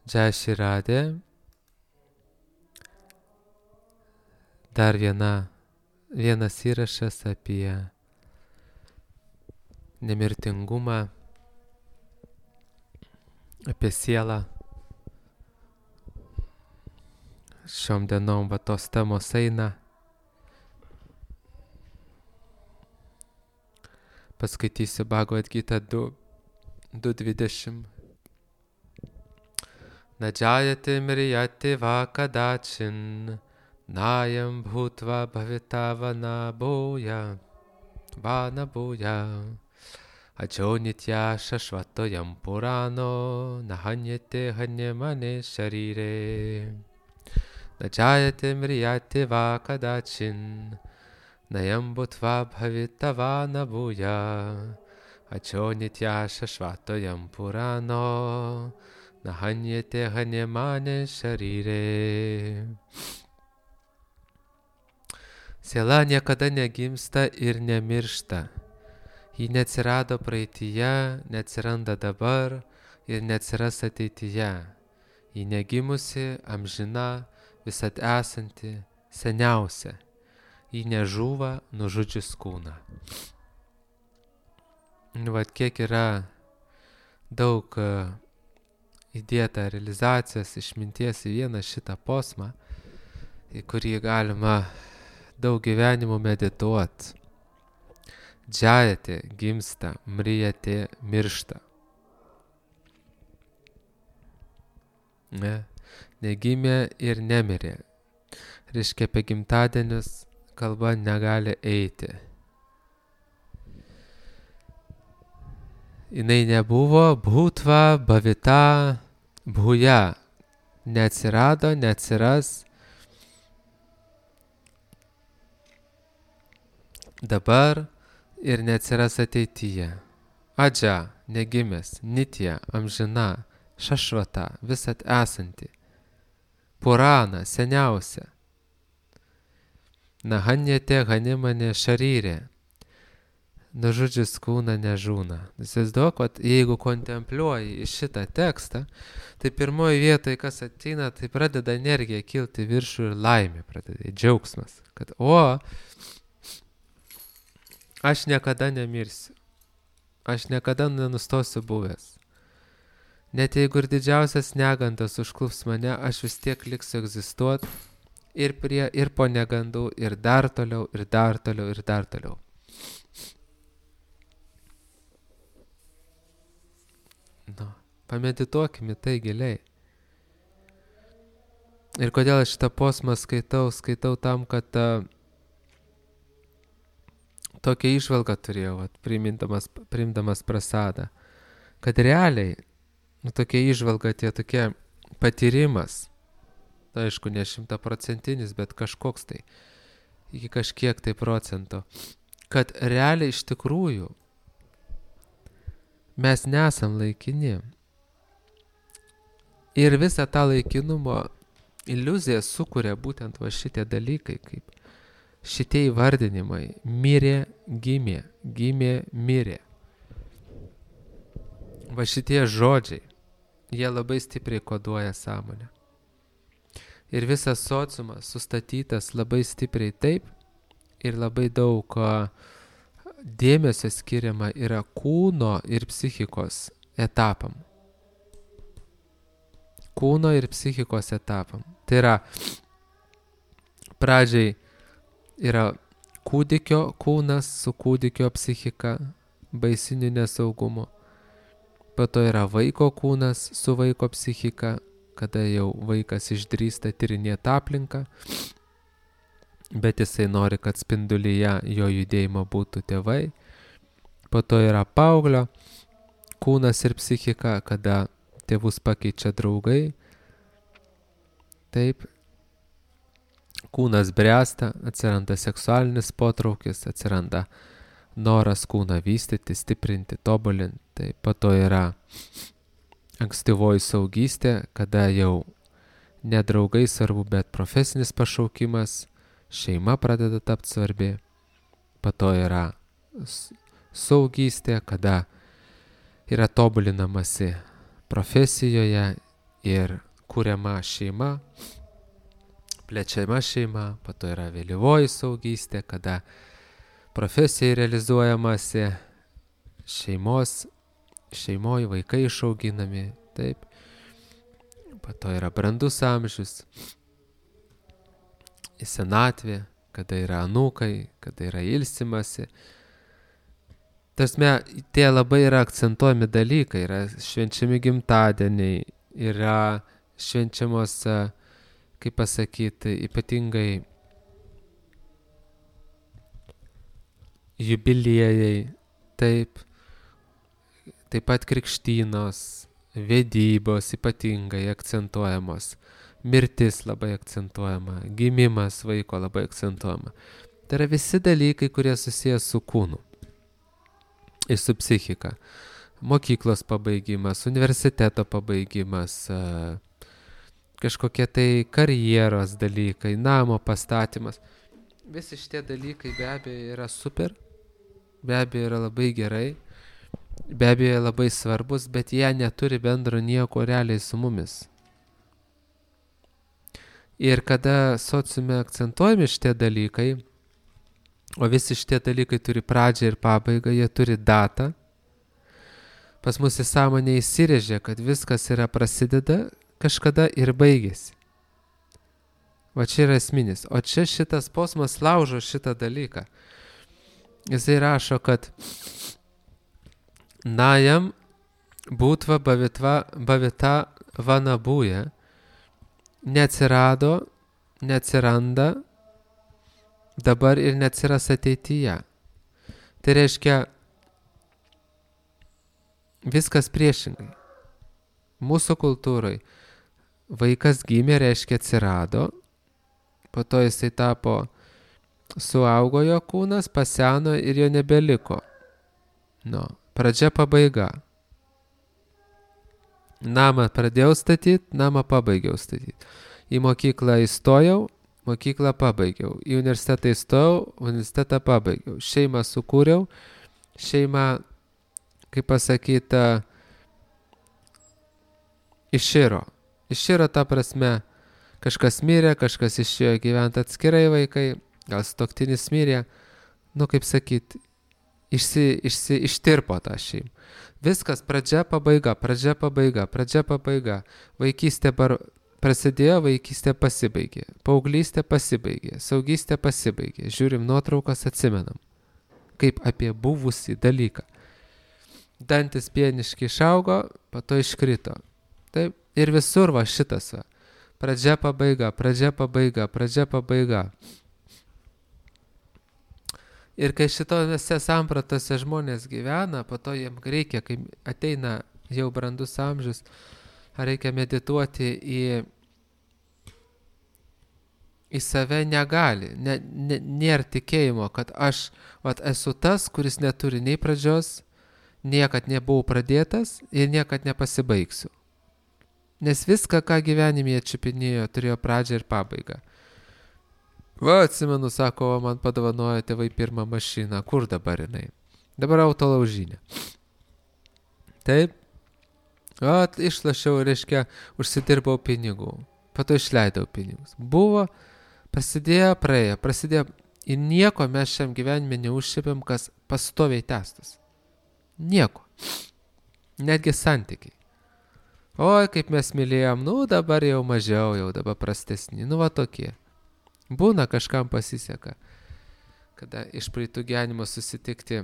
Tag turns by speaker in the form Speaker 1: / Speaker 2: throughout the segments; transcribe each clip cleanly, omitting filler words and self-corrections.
Speaker 1: Jai Shri Radhe. Dar vienas įrašas apie nemirtingumą, apie sielą. Šiom dienom tos temos eina. Paskaitysiu Bhagavad Gita 2.20. Na jayate mriyate va kadachin nayam bhutva bhavita vanaboya ajo nitya shashvatoyam purano nahanyate hanyamane sharire. Na jayate mriyate va kadachin nayam bhutva bhavita vanaboya ajo nitya shashvatoyam purano nahanyate hanyamane sharire. Siela niekada negimsta ir nemiršta. Ji neatsirado praeityje, neatsiranda dabar ir neatsiras ateityje. Ji negimusi, amžina, visad esanti, seniausia. Ji nežūva nužudžius kūną. Vat kiek yra daug įdėta realizacijos išminties į vieną šitą posmą, į kurį galima daug gyvenimų medituot. Džajate gimsta, mrijate miršta. Negimė ir nemirė. Reiškia, apie gimtadienius kalba negali eiti. Jinai nebuvo, bhutva, bhavita, bhuja. Neatsirado, neatsiras. Dabar ir neatsiras ateityje. Adža, negimęs, nitya, amžina, šašvata, visat esanti. Purana, seniausia. Nahanyate hanimane šaryrė. Nužudžius kūną nežūna. Įsivaizduok, jeigu kontempliuoji į šitą tekstą, tai pirmoji vietoje, kas ateina, tai pradeda energija kilti viršų ir laimė pradeda, džiaugsmas. Kad, aš niekada nemirsiu. Aš niekada nenustosiu buvęs. Net jeigu ir didžiausias negandas užklups mane, aš vis tiek liksiu egzistuoti ir po negandų, ir dar toliau, ir dar toliau, ir dar toliau. Pamedituokime tai giliai. Ir kodėl aš šitą posmą skaitau tam, kad tokią įžvalgą turėjau, priimdamas prasadą, kad realiai, tokia įžvalga, tokia patyrimas, aišku, ne 100%, bet kažkoks tai, iki kažkiek tai procento, kad realiai iš tikrųjų mes nesam laikini. Ir visą tą laikinumo iliuziją sukuria būtent šitie dalykai, kaip šitie įvardinimai. Mirė, gimė, gimė, mirė. Šitie žodžiai, jie labai stipriai koduoja sąmonę. Ir visas sociumas sustatytas labai stipriai taip ir labai daug dėmesio skiriama yra kūno ir psichikos etapam. Kūno ir psichikos etapam. Tai yra, pradžiai yra kūdikio kūnas su kūdikio psichika, baisiniu nesaugumu. Po to yra vaiko kūnas su vaiko psichika, kada jau vaikas išdrįsta tyrinėti aplinką, bet jisai nori, kad spindulyje jo judėjimo būtų tėvai. Po to yra paauglio kūnas ir psichika, kada tėvus pakeičia draugai. Taip, kūnas bręsta, atsiranda seksualinis potraukis, atsiranda noras kūną vystyti, stiprinti, tobulinti. Taip, po to yra ankstyvoji saugystė, kada jau ne draugai svarbu, bet profesinis pašaukimas, šeima pradeda tapti svarbi. Po to yra saugystė, kada yra tobulinamasi profesijoje ir kuriama šeima, plečiama šeima, po to yra vėlyvoji suaugystė, kada profesijai realizuojamasi, šeimoje vaikai išauginami, taip. Po to yra brandus amžius, senatvė, kada yra anūkai, kada yra ilsimasi. Tasme, tie labai yra akcentuojami dalykai, yra švenčiami gimtadieniai, yra švenčiamos, kaip pasakyti, ypatingai jubiliejai, taip pat krikštynos, vedybos ypatingai akcentuojamos, mirtis labai akcentuojama, gimimas vaiko labai akcentuojama. Tai yra visi dalykai, kurie susijęs su kūnu ir su psichika. Mokyklos pabaigimas, universiteto pabaigimas, kažkokie tai karjeros dalykai, namo pastatymas. Visi šitie dalykai be abejo yra super, be abejo yra labai gerai, be abejo labai svarbus, bet jie neturi bendro nieko realiai su mumis. Ir kada sociume akcentuojami šitie dalykai, o visi šitie dalykai turi pradžią ir pabaigą, jie turi datą, pas mus į sąmonę įsirėžia, kad viskas yra prasideda kažkada ir baigėsi. Va čia yra esminis. O čia šitas posmas laužo šitą dalyką. Jisai rašo, kad najam būtva bavita vanabūja neatsirado, neatsiranda dabar ir neatsiras ateityje. Tai reiškia viskas priešingai. Mūsų kultūrai vaikas gimė, reiškia atsirado, po to jisai tapo, suaugo jo kūnas, paseno ir jo nebeliko. Pradžia pabaiga. Namą pradėjau statyti, namą pabaigiau statyti. Į mokyklą įstojau, mokyklą pabaigiau. Į universitetą įstojau, universitetą pabaigiau. Šeimą sukūriau, šeimą, kaip pasakyta, iširo. Iširo ta prasme, kažkas mirė, kažkas išėjo gyventi atskirai vaikai, gal sutuoktinis mirė, kaip sakyti, ištirpo tą šeimą. Viskas pradžia, pabaiga, pradžia, pabaiga, pradžia, pabaiga. Vaikystė prasidėjo, vaikystė pasibaigė. Paauglystė pasibaigė, saugystė pasibaigė. Žiūrim nuotraukas, atsimenam, kaip apie buvusį dalyką. Dantis pieniškai išaugo, po to iškrito. Taip, ir visur va šitas va. Pradžia, pabaiga, pradžia, pabaiga, pradžia, pabaiga. Ir kai šitose sampratose žmonės gyvena, po to jiems reikia, kai ateina jau brandus amžius, reikia medituoti į save negali. Nėra tikėjimo, kad aš esu tas, kuris neturi nei pradžios, niekad nebuvau pradėtas ir niekad nepasibaigsiu. Nes viską, ką gyvenime atčiupinėjo, turėjo pradžią ir pabaigą. Atsimenu, sako, man padovanojo tėvai pirmą mašiną. Kur dabar jinai? Dabar autolaužinė. Taip. Išlašiau, reiškia, užsidirbau pinigų. Po to išleidau pinigus. Buvo, prasidėjo, praėjo. Prasidėjo. Ir nieko mes šiam gyvenime neužšipėm, kas pastoviai tęstas. Nieko. Netgi santykiai. Oi, kaip mes mylėjom, dabar jau mažiau, jau dabar prastesni. Va tokie. Būna, kažkam pasiseka, kada iš praeitų gyvenimo susitikti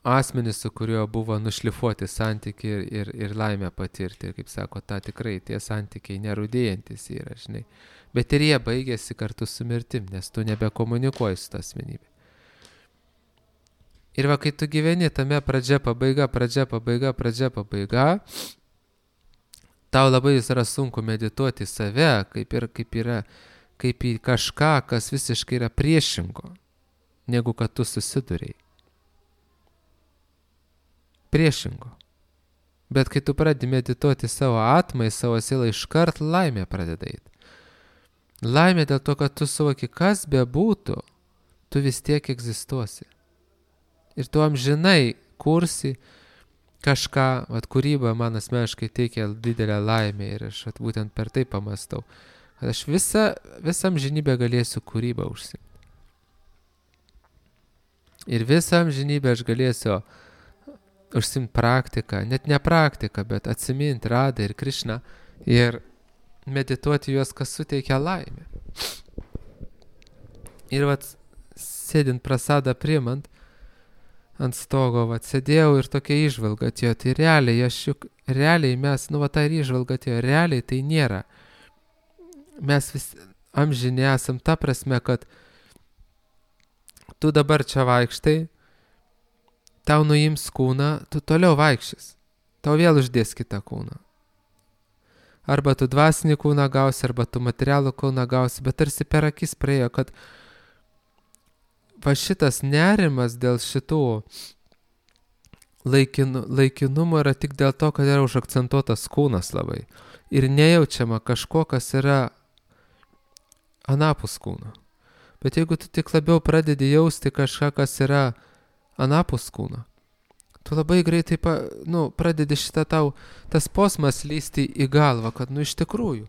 Speaker 1: asmenys, su kuriuo buvo nušlifuoti santykiai ir laimę patirti. Ir kaip sako, tikrai tie santykiai nerūdėjantis yra, žinai. Bet ir jie baigėsi kartu su mirtim, nes tu nebekomunikuoji su ta asmenybė. Ir va, kai tu gyveni tame pradžia, pabaiga, pradžia, pabaiga, pradžia, pabaiga, tau labai yra sunku medituoti save, kaip į kažką, kas visiškai yra priešingo, negu kad tu susiduriai. Priešingo. Bet kai tu pradedi medituoti savo atmą, į savo sielą, iškart laimė pradeda eiti. Laimė dėl to, kad tu suvoki, kas bebūtų, tu vis tiek egzistuosi. Ir tu amžinai kursi kažką, kūryba man asmeniškai teikia didelę laimę ir aš būtent per tai pamastau, kad aš visą amžinybę galėsiu kūrybą užsiimti. Ir visą amžinybę aš galėsiu užsiimti praktiką, net ne praktiką, bet atsiminti Radą ir Krišną ir medituoti juos, kas suteikia laimę. Ir sėdint prasadą priimant, ant stogo, sėdėjau ir tokia įžvalga atėjo, tai realiai mes, ta ir įžvalga atėjo, realiai tai nėra. Mes vis amžini esam ta prasme, kad tu dabar čia vaikštai, tau nuims kūną, tu toliau vaikščias, tau vėl uždės kitą kūną. Arba tu dvasinį kūną gausi, arba tu materialų kūną gausi, bet tarsi per akis praėjo, kad šitas nerimas dėl šitų laikinumo yra tik dėl to, kad yra užakcentuotas kūnas labai. Ir nejaučiama kažko, kas yra anapus kūno. Bet jeigu tu tik labiau pradedi jausti kažką, kas yra anapus kūno, tu labai greitai pradedi tas posmas lysti į galvą, kad iš tikrųjų,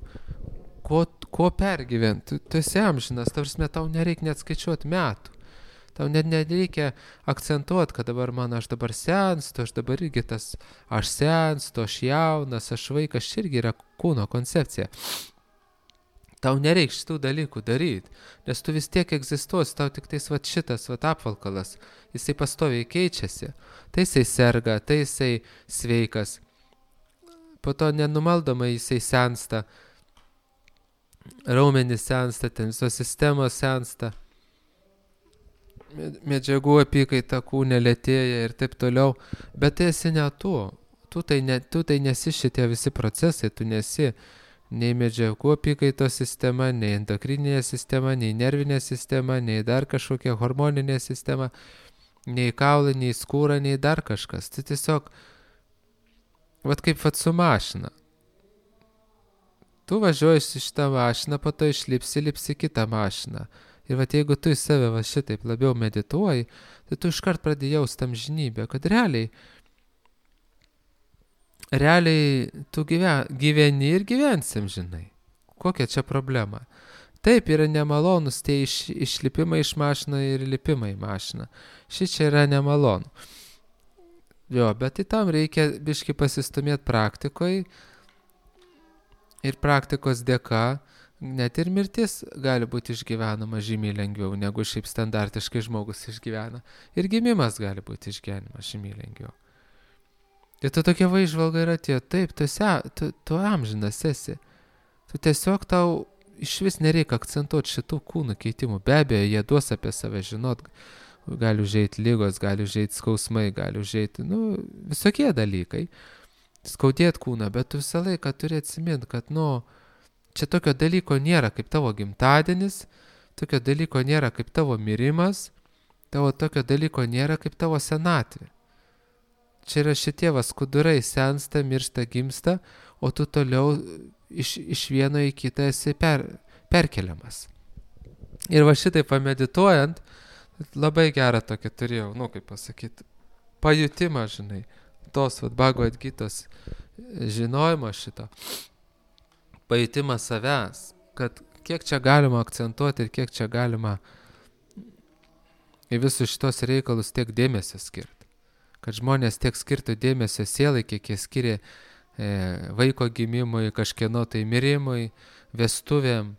Speaker 1: ko pergyventi, tu esi amžinas, tau nereikia net skaičiuoti metų. Tau net nereikia akcentuoti, kad aš dabar senstu, aš dabar irgi aš senstu, aš jaunas, aš vaikas, irgi yra kūno koncepcija. Tau nereikia šitų dalykų daryti, nes tu vis tiek egzistuosi, tau tik šitas apvalkalas, jisai pastoviai keičiasi, tai jisai serga, tai jisai sveikas, po to nenumaldomai jisai sensta, raumenys sensta, visos sistemos sensta. Medžiagų apykaita kūne lėtėja ir taip toliau, bet tai esi ne tu. Tu tai nesi šitie visi procesai, tu nesi nei medžiagų apykaitos sistema, nei endokrininė sistema, nei nervinė sistema, nei dar kažkokia hormoninė sistema, nei kaulai, nei skūra, nei dar kažkas. Tai tiesiog, kaip su mašina. Tu važiuoji šitą mašiną, po to lipsi kitą mašiną. Ir jeigu tu į save šitaip labiau medituoji, tai tu iškart pradėjai jausti amžinybę, kad realiai tu gyveni ir gyvensim, žinai. Kokia čia problema? Taip, yra nemalonus tie išlipimai iš mašiną ir lipimai į mašiną. Čia yra nemalonu. Bet tam reikia biškį pasistumėti praktikoje ir praktikos dėka. Net ir mirtis gali būti išgyvenama žymiai lengviau, negu šiaip standartiškai žmogus išgyvena. Ir gimimas gali būti išgyvenimas žymiai lengviau. Ir tu tokia įžvalga yra tie, taip, tu amžinas esi. Tu tiesiog tau iš vis nereikia akcentuoti šitų kūnų keitimų. Be abejo, jie duos apie save žinot. Gali užeiti lygos, gali užeiti skausmai, gali užeiti, visokie dalykai. Skaudėti kūną, bet tu visą laiką turi atsiminti, kad, čia tokio dalyko nėra kaip tavo gimtadienis, tokio dalyko nėra kaip tavo mirimas, tokio dalyko nėra kaip tavo senatvė. Čia yra šitie skudurai sensta, miršta, gimsta, o tu toliau iš vieno į kitą esi perkeliamas. Ir šitai pamedituojant, labai gerą tokį turėjau, kaip pasakyti, pajutimą, žinai, tos Bhagavad Gitos žinojimo šito. Pajutimas savęs, kad kiek čia galima akcentuoti ir kiek čia galima į visus šitos reikalus tiek dėmesio skirti. Kad žmonės tiek skirtų dėmesio sielai, kiek jie skiria vaiko gimimui, kažkieno tai mirimui, vestuvėm,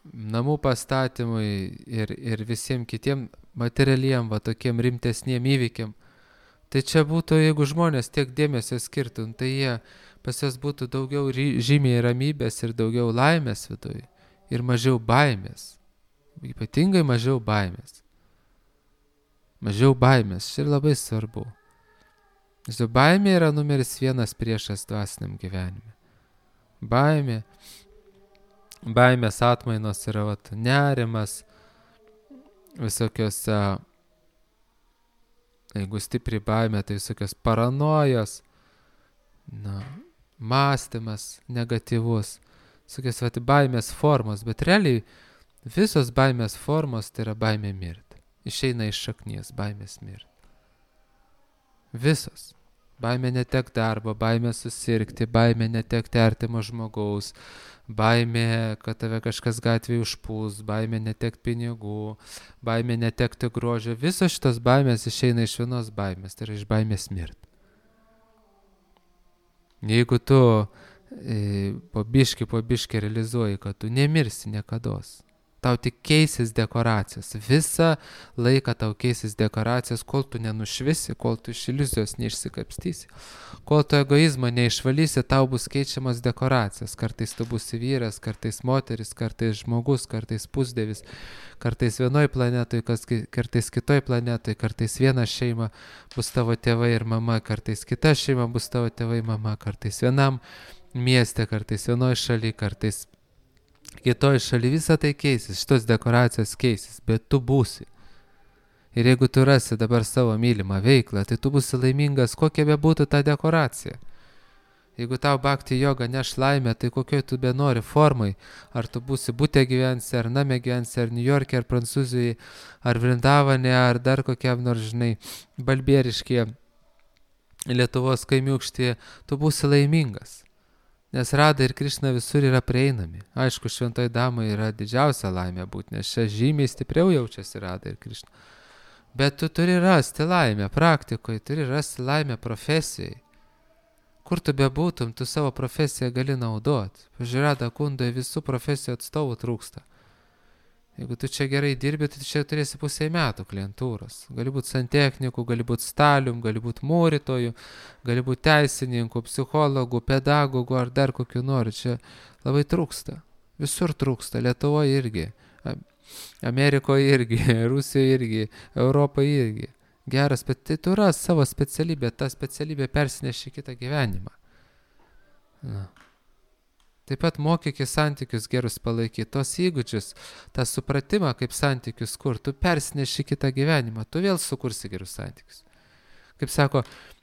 Speaker 1: namų pastatymui ir visiems kitiem materialiem, tokiem rimtesniem įvykiam. Tai čia būtų, jeigu žmonės tiek dėmesio skirtų, tai jie pas jas būtų daugiau žymiai ramybės ir daugiau laimės viduje ir mažiau baimės. Ypatingai mažiau baimės. Mažiau baimės, čia labai svarbu. Baimė yra numeris 1 priešas dvasiniam gyvenime. Baimės atmainos yra nerimas, visokios, jeigu stipri baimė, tai visokios paranojos, mąstymas negatyvus, visokios baimės formos, bet realiai visos baimės formos tai yra baimė mirti. Išeina iš šaknies baimės mirti. Visos. Baimė netekti darbo, baimė susirgti, baimė netekti artimo žmogaus, baimė, kad tave kažkas gatvėje užpūs, baimė netekti pinigų, baimė netekti grožio. Visos šitos baimės išeina iš vienos baimės, tai yra iš baimės mirti. Jeigu tu po biškį realizuoji, kad tu nemirsi niekados, tau tik keisis dekoracijas. Visą laiką tau keisis dekoracijas, kol tu nenušvisi, kol tu iš iliuzijos neišsikapstysi. Kol tu egoizmo neišvalysi, tau bus keičiamas dekoracijas. Kartais tu būsi vyras, kartais moteris, kartais žmogus, kartais pusdievis, kartais vienoj planetoj, kartais kitoj planetoj, kartais viena šeima bus tavo tėvai ir mama, kartais kita šeima bus tavo tėvai mama, kartais vienam mieste, kartais vienoj šaly, kartais kitoj šaly. Visą tai keisis, šitos dekoracijos keisis, bet tu būsi. Ir jeigu tu rasi dabar savo mylimą veiklą, tai tu būsi laimingas, kokia bebūtų ta dekoracija. Jeigu tau bhakti joga neš laimę, tai kokioj tu benori formai, ar tu būsi bute gyvensi, ar name gyvensi, ar New York'e, ar Prancūzijoje, ar Vrindavane, ar dar kokiam nors, žinai, balbieriškėje, Lietuvos kaimiūkštėje, tu būsi laimingas. Nes Rada ir Krišna visur yra prieinami. Aišku, šventoj damai yra didžiausia laimė būti, nes čia žymiai stipriau jaučiasi Rada ir Krišna. Bet tu turi rasti laimę praktikoje, turi rasti laimę profesijai. Kur tu bebūtum, tu savo profesiją gali naudoti. Pažiūrėk, Rada Kundoje visų profesijų atstovų trūksta. Jeigu tu čia gerai dirbi, tai čia turėsi pusę metų klientūros. Gali būti santechniku, gali būti stalium, gali būti mūrytoju, gali būti teisininku, psichologu, pedagogu ar dar kokiu nori. Čia labai trūksta. Visur trūksta. Lietuvoje irgi, Amerikoje irgi, Rusijoje irgi, Europoje irgi. Geras, bet tai tu ras savo specialybę, tą specialybę persineši kitą gyvenimą. Na. Taip pat mokykis santykius gerus palaikyti, tos įgūdžius, tą supratimą, kaip santykius kur, tu persineši kitą gyvenimą, tu vėl sukursi gerus santykius. Kaip sako,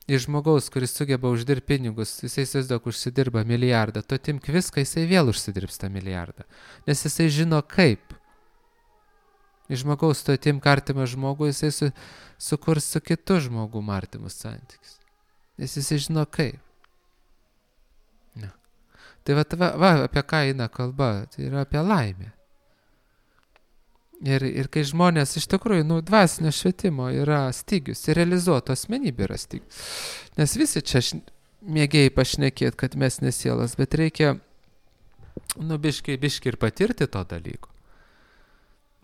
Speaker 1: iš žmogaus, kuris sugeba uždirbti pinigus, jisai įsivaizduok užsidirba milijardą, tu atimk viską, jisai vėl užsidirbs tą milijardą, nes jisai žino kaip. Iš žmogaus tu atimk artimą žmogų, jisai sukurs su kitu žmogum artimus santykius, nes jisai žino kaip. Ne. Tai va, apie ką eina kalba, tai yra apie laimę. Ir kai žmonės iš tikrųjų, dvasinio švietimo yra stygius, ir realizuoto asmenybė yra stygius. Nes visi čia mėgėjai pašnekėti, kad mes nesielas, bet reikia, biškai ir patirti to dalyko.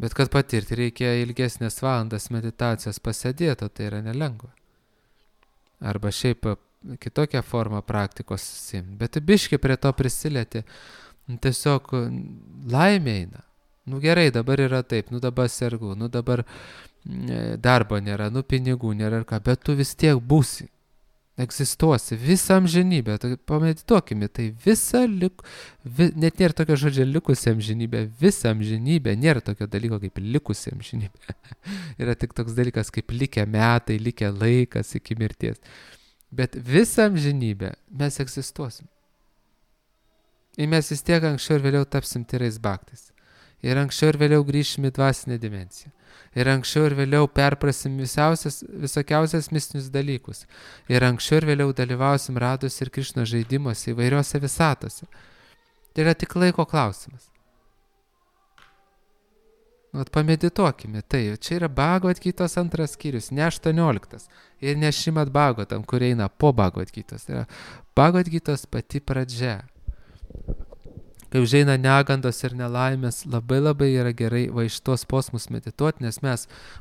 Speaker 1: Bet kad patirti reikia ilgesnės valandas meditacijos pasėdėto, tai yra nelengva. Arba šiaip kitokią formą praktikos susimti. Bet biškai prie to prisilieti, tiesiog laimė eina. Gerai, dabar yra taip, dabar sergu, dabar darbo nėra, pinigų nėra ir ką, bet tu vis tiek būsi, egzistuosi visą amžinybę. Tai pamedituokime, tai net nėra tokio žodžio likusi amžinybė, visą amžinybę, nėra tokio dalyko kaip likusi amžinybė. Yra tik toks dalykas kaip likę metai, likę laikas iki mirties. Bet visą amžinybę mes egzistuosim. Ir mes vis tiek anksčiau ir vėliau tapsim tyrais bhaktais. Ir anksčiau ir vėliau grįšim į dvasinę dimensiją. Ir anksčiau ir vėliau perprasim visokiausias mistinius dalykus. Ir anksčiau ir vėliau dalyvausim Rados ir Krišnos žaidimuose įvairiuose visatose. Tai yra tik laiko klausimas. Pamedituokime, tai čia yra Bhagavad Gitos 2 skyrius, ne 18 ir ne Šrimad Bhagavatam, kur eina po Bhagavad Gitos. Tai yra Bhagavad Gitos pati pradžia. Kai užeina negandos ir nelaimės, labai yra gerai va iš tos posmus medituoti, nes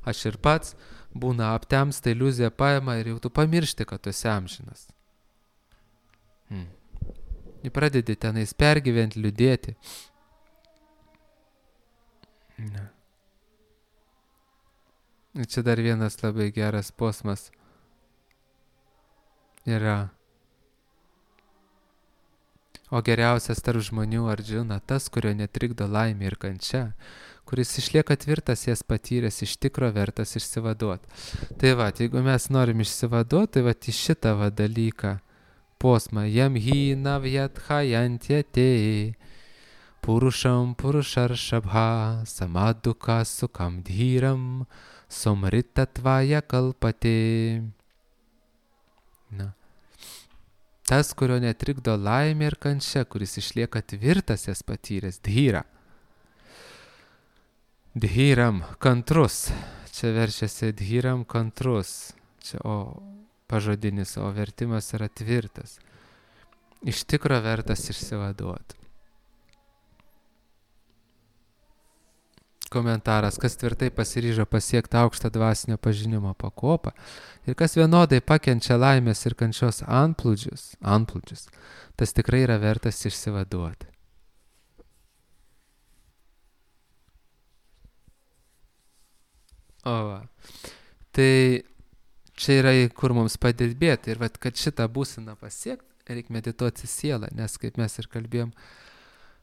Speaker 1: aš ir pats būna aptemsta, iliuzija paima ir jau tu pamiršti, kad tu esi amžinas. Ir pradedi tenais pergyventi, liūdėti. Ne. Čia dar vienas labai geras posmas yra. O geriausias tarp žmonių Ardžuna tas, kurio netrikdo laimė ir kančia, kuris išlieka tvirtas jas patyręs, iš tikro vertas išsivaduoti. Tai jeigu mes norim išsivaduoti, tai į šitą dalyką posmą jam hi navjatchajantjate purušam purušaršabha samaduka sukam dhyram somritatvaja kalpate. tas, kurio netrikdo laimė ir kančia, kuris išlieka tvirtas jas patyręs, dhyra. Dhyram, kantrus. Čia verčiasi dhyram, kantrus. Čia pažodinis, o vertimas yra tvirtas. Iš tikro vertas išsivaduoti. Komentaras, kas tvirtai pasiryžo pasiekti aukštą dvasinio pažinimo pakopą ir kas vienodai pakenčia laimės ir kančios antplūdžius, tas tikrai yra vertas išsivaduoti. Tai čia yra, kur mums padirbėti ir kad šitą būseną pasiekti, reikia medituoti sielą, nes kaip mes ir kalbėjom,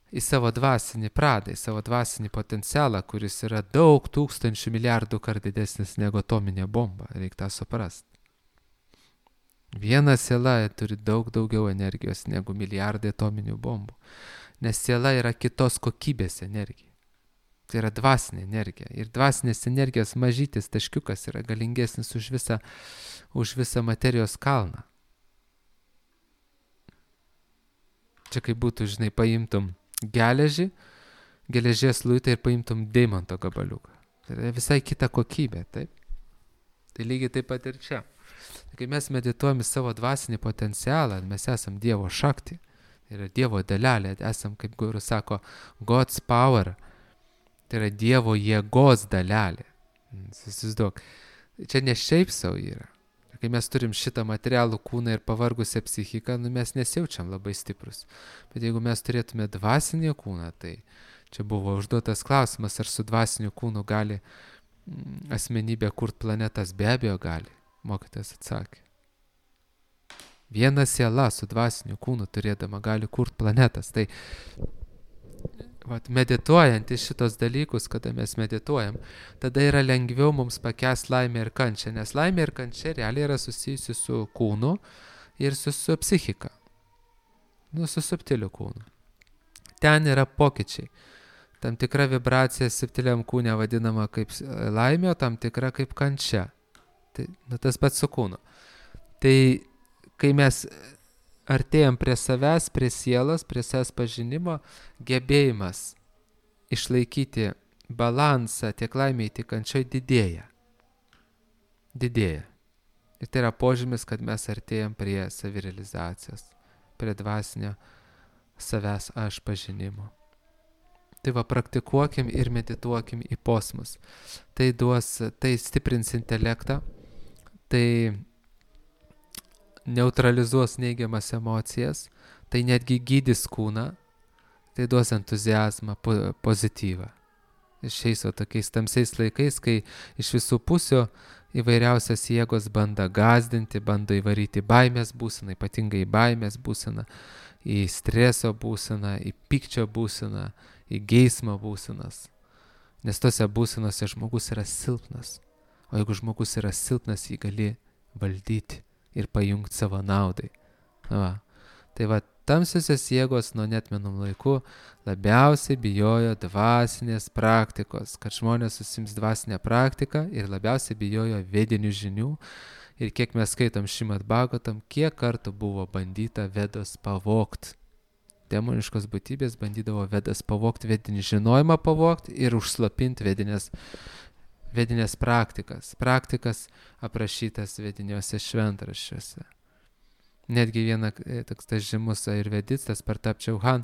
Speaker 1: į savo dvasinį pradą, į savo dvasinį potencialą, kuris yra daug tūkstančių milijardų kart didesnis negu atominė bomba, reikia tą suprasti. Viena siela turi daug daugiau energijos negu milijardai atominių bombų, nes siela yra kitos kokybės energija. Tai yra dvasinė energija. Ir dvasinės energijos mažytis taškiukas yra galingesnis už visą materijos kalną. Čia kaip būtų, žinai, paimtum geležies luitą ir paimtum deimanto gabaliuką. Tai yra visai kita kokybė, taip? Tai lygiai taip pat ir čia. Kai mes medituojame savo dvasinį potencialą, mes esam Dievo šakti. Tai yra Dievo dalelė, esam, kaip guru sako, God's power. Tai yra Dievo jėgos dalelė. Įsivaizduok. Čia ne šiaip savo yra. Kai mes turim šitą materialų kūną ir pavargusią psichiką, mes nesijaučiam labai stiprus. Bet jeigu mes turėtume dvasinį kūną, tai čia buvo užduotas klausimas, ar su dvasiniu kūnu gali asmenybė kurt planetas. Be abejo gali. Mokytojas atsakė. Viena siela su dvasiniu kūnu turėdama gali kurt planetas. Tai medituojant į šitos dalykus, kada mes medituojam, tada yra lengviau mums pakęsti laimę ir kančią, nes laimė ir kančia realiai yra susijusi su kūnu ir su psichika. Su subtiliu kūnu. Ten yra pokyčiai. Tam tikra vibracija subtiliam kūne vadinama kaip laimė, o tam tikra kaip kančia. Tai tas pats su kūnu. Tai kai mes artėjam prie savęs, prie sielos, prie savęs pažinimo, gebėjimas išlaikyti balansą tiek laimėje, tiek kančioj didėja. Ir tai yra požymis, kad mes artėjam prie savirealizacijos, prie dvasinio savęs aš pažinimo. Tai praktikuokim ir medituokim į posmus. Tai stiprins intelektą, tai neutralizuos neigiamas emocijas, tai netgi gydys kūną, tai duos entuziazmą, pozityvą. Ir šiais tokiais tamsiais laikais, kai iš visų pusių įvairiausias jėgos bando gąsdinti, bando įvaryti baimės būseną, ypatingai baimės būseną, į streso būseną, į pykčio būseną, į geismo būsenas. Nes tose būsenose žmogus yra silpnas. O jeigu žmogus yra silpnas, jį gali valdyti ir pajungti savo naudai. Tai tamsiosios jėgos nuo neatmenų laikų labiausiai bijojo dvasinės praktikos, kad žmonės susims dvasinę praktiką ir labiausiai bijojo vedinių žinių. Ir kiek mes skaitom Šrimad Bhagavatam, kiek kartų buvo bandyta Vedas pavogti. Demoniškos būtybės bandydavo Vedas pavogti, vedinį žinojimą pavogti ir užslapinti vedinės praktikas aprašytas vediniuose šventraščiuose. Netgi toks tas žymus ajurvedistas Partap Chauhan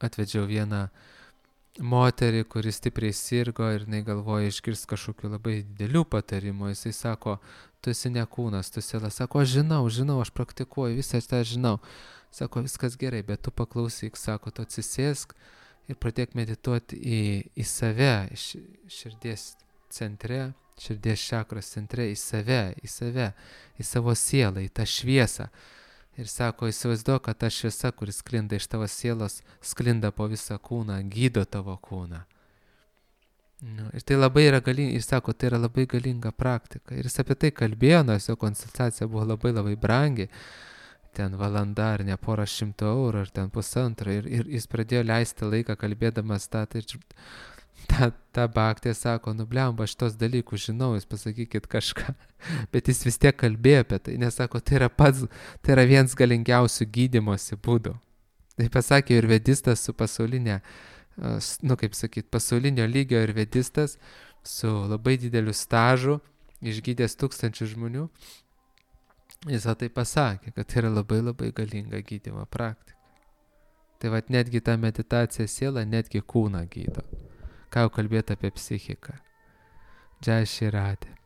Speaker 1: atvedžiau vieną moterį, kuri stipriai sirgo ir jinai galvoja išgirsti kažkokių labai didelių patarimų. Jisai sako, tu esi ne kūnas, tu siela. Sako, aš žinau, aš praktikuoju, visą tą žinau. Sako, viskas gerai, bet tu paklausyk, sako, tu atsisėsk ir pradėk medituoti į save, širdies centre, širdies čakros centre, į save, į savo sielą, į tą šviesą. Ir sako, įsivaizduok, kad ta šviesa, kuris sklinda iš tavo sielos, sklinda po visą kūną, gydo tavo kūną. Ir tai labai yra galinga, ir sako, tai yra labai galinga praktika. Ir jis apie tai kalbėjo, nors jo konsultacija buvo labai labai brangi. Ten valanda ar ne porą šimtų eurų, ar ten pusantro. Ir jis pradėjo leisti laiką kalbėdamas tą. Ta baktė sako, blemba, aš tos dalykus žinau, jūs pasakykit kažką. Bet jis vis tiek kalbėjo apie tai, nes sako, tai yra vienas galingiausių gydymosi būdų. Tai pasakė ir vedistas su pasaulinė, pasaulinio lygio ir vedistas su labai dideliu stažu, išgydęs 1000 žmonių. Jis tai pasakė, kad tai yra labai labai galinga gydymo praktika. Tai netgi ta meditacija siela, netgi kūną gydo. Ką jau kalbėti apie psichiką. Džai Šri Radhe.